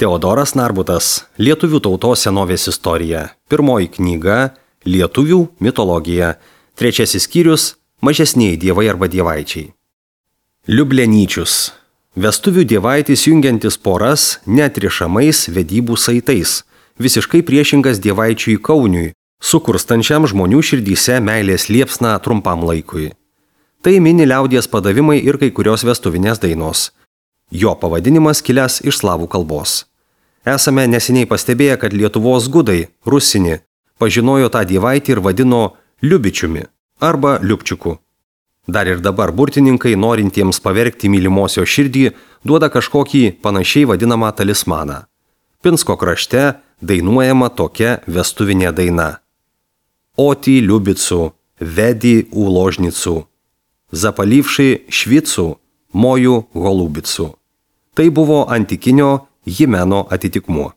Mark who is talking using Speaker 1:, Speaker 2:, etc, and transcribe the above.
Speaker 1: Teodoras Narbutas, Lietuvių tautos senovės istorija. Pirmoji knyga – Lietuvių mitologija. Trečiasis skyrius – Mažesnieji dievai arba dievaičiai. Liublianyčius. Vestuvių dievaitis jungiantis poras neatrišamais vedybų saitais. Visiškai priešingas dievaičiui Kauniui, sukurstančiam žmonių širdyse meilės liepsną trumpam laikui. Tai mini liaudies padavimai ir kai kurios vestuvinės dainos. Jo pavadinimas kilęs iš slavų kalbos. Esame neseniai pastebėję, kad Lietuvos gudai, rusini, pažinojo tą dievaitį ir vadino Liubičiumi arba Liupčiuku. Dar ir dabar burtininkai, norintiems pavergti mylimosios širdį, duoda kažkokį panašiai vadinamą talismaną. Pinsko krašte dainuojama tokia vestuvinė daina. Oti liubicų, vedi uložnicų, zapalivši švicų, mojų golubicų. Tai buvo antikinio himeno atitikmuo.